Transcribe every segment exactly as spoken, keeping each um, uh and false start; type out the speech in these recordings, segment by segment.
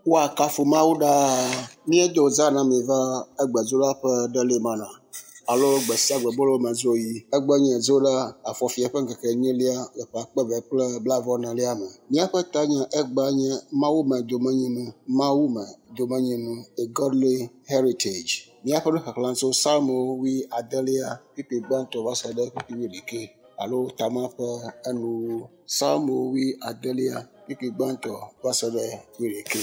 Woakafu Mawu ɖaa. Míedo zã na mi va egbedzola ƒe ɖelimana alo gbe sia gbe bolomedzoɣi. Egbe nye dzola afɔfia ƒe ŋkeke enyilia le ƒe akpe eve kple blaeve-vɔ-enelia me. Míaƒe tanya egbea nye Mawume domenyinu, Mawume domenyinu, a godly heritage. Míaƒe nuxexlẽ tso Psalmo wui adelia kpukpui gbãtɔ va se ɖe kpukpui wuiɖekɛ alo tama ƒe enuwuwu. Psalmo wui adelia kpukpui gbãtɔ va se ɖe wuiɖekɛ.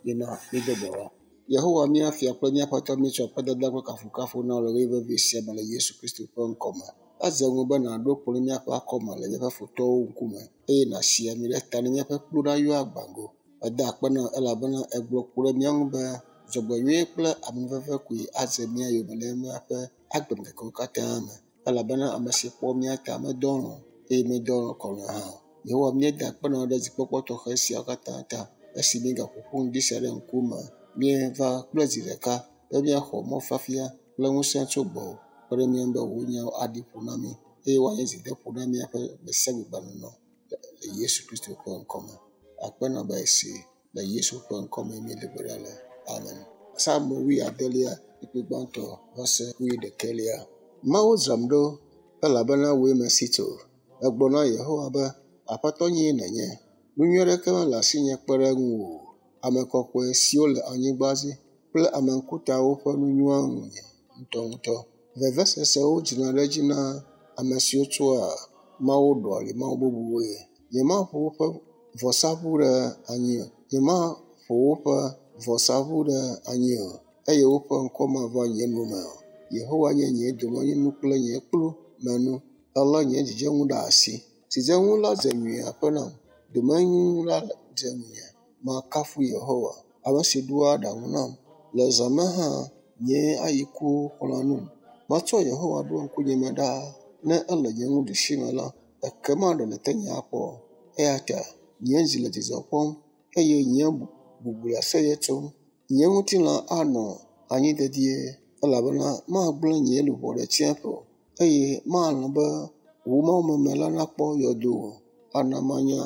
Mina mído gbe ɖa. Yehowa mía fia kple míaƒe Aƒetɔ míetsɔ akpedada kple kafukafu na wò le ɣeyiɣi vevi sia me le Yesu Kristo ƒe ŋkɔme. Edze ŋu be nàɖo kplɔ̃ ɖe míaƒe akɔme le míaƒe futɔwo ŋkume eye nàsi ami ɖe ta ne míaƒe kplu nayɔ agbago. Eda akpe na wò elabena ègblɔ ku ɖe mía ŋu be dzɔgbenyui kple amenuveve koe adze mía yome le míaƒe agbemeŋkekewo katã me elabena ame si kpɔ mía ta medɔ alɔ̃ o eye medɔ kɔlɔ̃e hã o. Yehowa míeda akpe na wò ɖe dzikpɔkpɔ tɔxɛ siawo katã ta esi míegaƒo ƒu ŋdi sia ɖe ŋkume. Míeva kple dzi ɖeka be míaxɔ mɔfiafia kple ŋusẽ tso gbɔwò kpe ɖe mía ŋu be wò nyawo aɖi ƒo na mí eye woanye dzideƒo na míaƒe gbe sia gbe gbenɔnɔ le Yesu Kristo ƒe ŋkɔme. Akpe na be esi le Yesu ƒe ŋkɔme míedo gbe ɖa le. Amen. Psalmo wui adelia kpukpui gbãtɔ va se wuiɖekɛlia. Mawu dzram ɖo elabena wòe mesi tso. Megblɔ na Yehowa be, Aƒetɔ nyee nènye. Nu nyui aɖeke mele asinye kpe ɖe ŋuwò o. Ame kɔkɔe siwo le anyigba dzi kple ame ŋkutawo ƒe nu nyoa ŋunye ŋutɔŋutɔ. Vevesesewo dzina ɖe edzi na ame siwo tsɔa Mawu ɖɔa li mawu bubuwoe. Nyemaƒo woƒe vɔsaʋu ɖe anyi o. Nyemaƒo woƒe vɔsaʋu ɖe anyi o eye woƒe ŋkɔ mava nye nu me o. Yehowa nye nye domenyinu kple nye kplu menu. Elé nye dzidzenu ɖe asi. Dzidzenu la dze nyuie aƒe nam. Domenyinu la dze ŋunye. Makafu Yehowa, ame si ɖoa aɖaŋu nam. Le zã me hã, nye ayiku xlɔ̃a num. Metsɔ Yehowa ɖo ŋkunyeme ɖaa. Ne ele nye nuɖusime la, ekema ɖe nète nye akpɔ. Eya ta nye dzi le dzidzɔ kpɔm eye nye bubu le aseye tsom. Nye ŋutilã anɔ anyi dedie elabena magblẽ nye luʋɔ ɖe tsiẽƒe o eye malɔ̃ be wò mawumeme la nakpɔ yɔdo o. Ana manya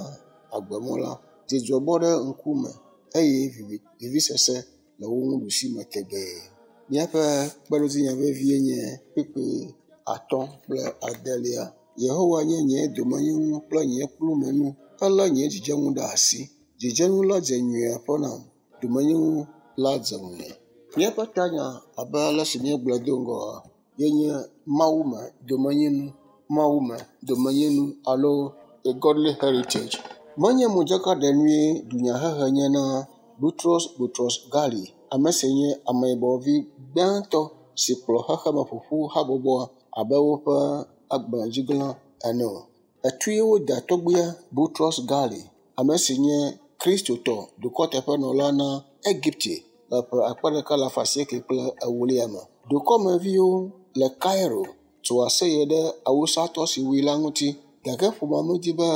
agbemɔ la. Dzidzɔ bɔ ɖe ŋkume eye vivi vivisese le wò nuɖusime tegbee. Míaƒe kpeɖodzinya vevie nye kpukpui atɔ̃ kple adelia. Yehowa nye nye domenyinu kple nye kplumenu. Elé nye dzidzenu ɖe asi. Dzidzenu la dze nyuie aƒe nam. Domenyinu la dze ŋunye. Míaƒe tanya abe ale si míegblɔe do ŋgɔa ye nye Mawume domenyinu, Mawume domenyinu alo a godly heritage. Menye modzakaɖenue dunyahehe nye na Boutros Boutros Ghali, ame si nye ameyibɔvi gbãtɔ si kplɔ xexeme ƒoƒu habɔbɔa abe woƒe agbalẽdzigla ene o. Etue woda tɔgbuia Boutros Ghali, ame si nye Kristotɔ dukɔteƒenɔla na Egipte le ƒe akpe ɖeka alafa asieke kple ewolia me. Dukɔmeviwo le Cairo tso aseye ɖe awusatɔ si wui la ŋuti gake ƒomea medi be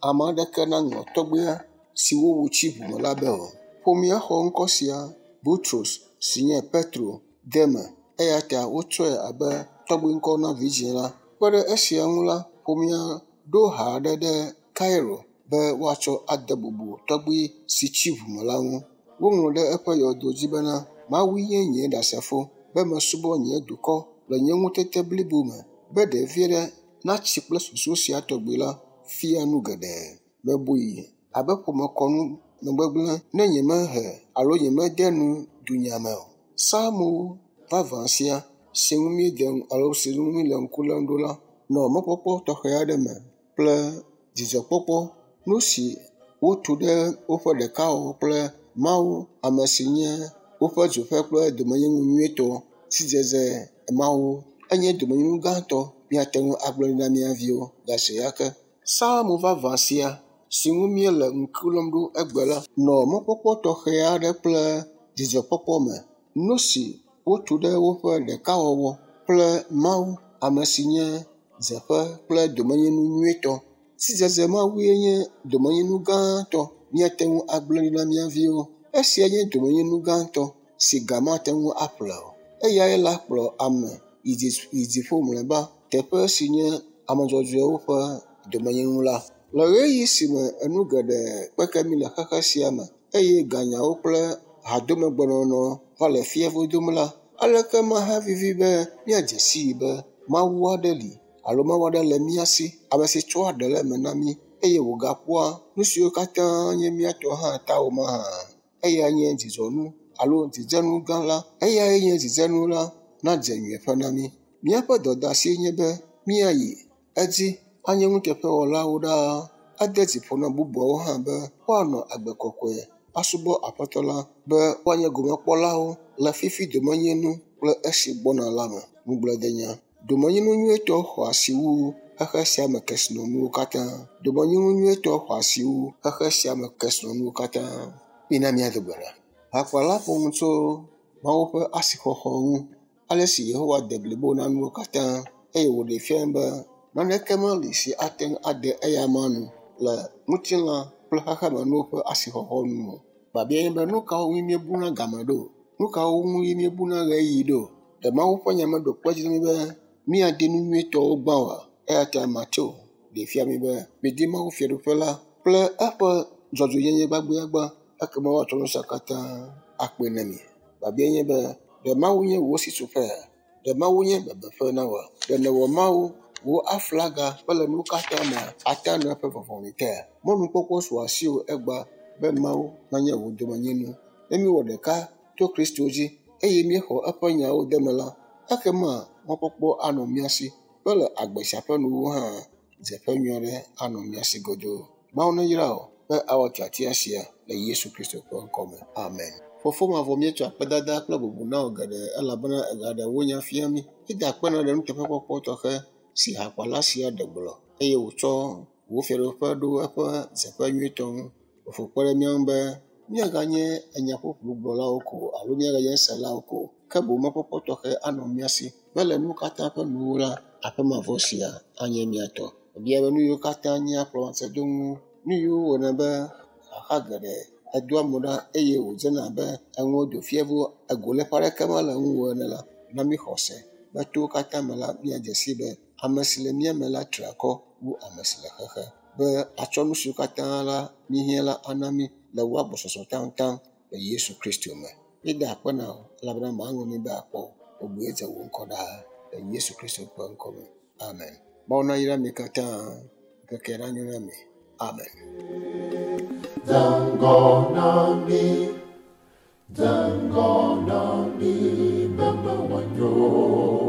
ame aɖeke naŋlɔ tɔgbuia si wowu tsi ʋume la be o. Ƒomea xɔ ŋkɔ sia Boutros si nye Petro de eme eya ta wotsɔe abe tɔgbuiŋkɔ na vidzĩ la. Kpe ɖe esia ŋu la, ƒomea ɖo ha aɖe ɖe Cairo be woatsɔ ade bubu tɔgbui si tsi ʋume la ŋu. Woŋlɔ ɖe eƒe yɔdo dzi bena, Mawue nye nye ɖasefo be mesubɔ nye dukɔ le nye ŋutete blibo me be ɖevi aɖe natsi kple susu sia tɔgbi la fia nu geɖe. Mebui abe ƒomekɔnu megbegblẽ ne nyemehe alo nyemede nu dunya me o. Psalmo vavã sia si ŋu míede alo si ŋu míele ŋku lém ɖo la nɔ mɔkpɔkpɔ tɔxɛ aɖe me kple dzidzɔkpɔkpɔ. Nu si wotu ɖe woƒe ɖekawɔwɔ kple Mawu, ame si nye woƒe dzoƒe kple domenyinu nyuitɔ, sidzedze Mawu enye domenyinu gãtɔ míate ŋu agblɔ ɖi na mía viwo gase ya ke. Psalmo vavã sia si ŋu míele ŋku lém ɖo egbe la nɔ mɔkpɔkpɔ tɔxɛ aɖe kple dzidzɔkpɔkpɔ me. Nu si wotu ɖe woƒe ɖekawɔwɔ kple Mawu, ame si nye dzeƒe kple domenyinu nyuitɔ. Sidzedze Mawue nye domenyinu gãtɔ míate ŋu agblẽ ɖi na mía viwo. Esia nye domenyinu gãtɔ si ga mate ŋu aƒle o. Eyae la kplɔ ame yi dziƒo mlɔeba, teƒe si nye ame dzɔdzɔewo ƒe domenyinu la. Le ɣeyiɣi si me enu geɖe kpeke mí le xexe sia me eye ganyawo kple hadomegbenɔnɔ va le fievo dom la, aleke mahavivi be míadze sii be Mawu aɖe li alo Mawu aɖe le mía si, ame si tsɔa ɖe le eme na mí eye wògakpɔa nu siwo katã nye mía tɔ hã ta o mahã. Eyae nye dzidzɔnu alo dzidzenu gã la. Eyae nye dzidzenu la nadze nyuieƒe na mí. Míaƒe dɔdeasie nye be míayi edzi anye nuteƒewɔlawo ɖaa, ade dzi ƒo na bubuawo hã be woanɔ agbe kɔkɔe asubɔ Aƒetɔ la be woanye gomekpɔlawo le fifi domenyinu kple esi gbɔna la me. Ŋugbledenya. Domenyinu nyuietɔ xɔ asi wu xexe sia me kesinɔnuwo katã. Domenyinu nyuietɔ xɔ asi wu xexe sia me kesinɔnuwo katã. Mina míado gbe ɖa. Hakpala ƒo nu tso Mawu ƒe asixɔxɔ ŋu, ale si Yehowa de blibo na nuwo katã eye wòɖee fia be naneke meli si ate ŋu ade eyama nu le ŋutilã kple xexemenuwo ƒe asixɔxɔ nu o. Biabiae nye be nu kawo ŋu míebuna game ɖo? Nu kawo ŋu míebuna ɣeyiɣi ɖo? Ɖe Mawu ƒe nya meɖo kpe edzi na mí be míadi nu nyuitɔwo gbã oa? Eya ta Mateo ɖee fia mí be midi Mawu fiaɖuƒe la kple eƒe dzɔdzɔenyenye gbagbeagbã ekema woatsɔ nu sia katã akpe na mi. Biabiae nye be ɖe Mawu nye wò sitsoƒea? Ɖe Mawu nye bebeƒe na wòa? Ɖe nèwɔ Mawu wò aflaga kple le nuwo katã me ate anɔ eƒe vɔvɔli tea? Mɔnukpɔkpɔ su asiwò egbea be Mawu nanye wò domenyinu. Ne míewɔ ɖeka to Kristo dzi eye míexɔ eƒe nyawo de eme la, ekema mɔkpɔkpɔ anɔ mía si be le agbe sia ƒe nuwuwu hã dzeƒe nyui aɖe anɔ mía si godoo. Mawu neyra wò be awɔ tiatia sia le Yesu Kristo ƒe ŋkɔ me. Amen. Fofo mavɔ míetsɔ akpedada kple bubu na wò geɖe elabena ègaɖe wò nya fia mí. Míeda akpe na ɖe nuteƒekpɔkpɔ tɔxɛ si hakpala sia ɖe gblɔ eye wòtsɔ wò fiaɖuƒe ɖo eƒe dzeƒe nyuitɔ ŋu. Fofo kpe ɖe mía ŋu be míaganye enyaƒoƒlu gblɔlawo ko alo míaganye selawo ko o, ke boŋ mɔkpɔkpɔ tɔxɛ anɔ mía si be le nuwo katã ƒe nuwuwu la, aƒe mavɔ sia anye mía tɔ. Bia be nu yiwo katã nye kplɔmatsedonu, nu yiwo wɔna be xaxa geɖe edoa mo ɖa eye wòdzena abe enuwo do fievo egoléƒe aɖeke mele ŋuwò ene la, na mí xɔse be to wo katã me la míadze sii be ame si le mía me la tri akɔ wu ame si le xexe be atsɔ nu siwo katã la míehiã la ana mí le wò agbɔsɔsɔ taŋtaŋ le Yesu Kristo me. Míeda akpe na wò elabena màŋlɔ mí be akpɔ o. Bubue dze wò ŋkɔ ɖaa le Yesu Kristo ƒe ŋkɔ me. Amen. Mawu nayra mi katã. Ŋkekea nanyo na mi. Amen. Zangonami, Zangonami, Mama Wanyo,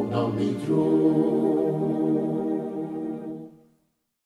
Nami Dro.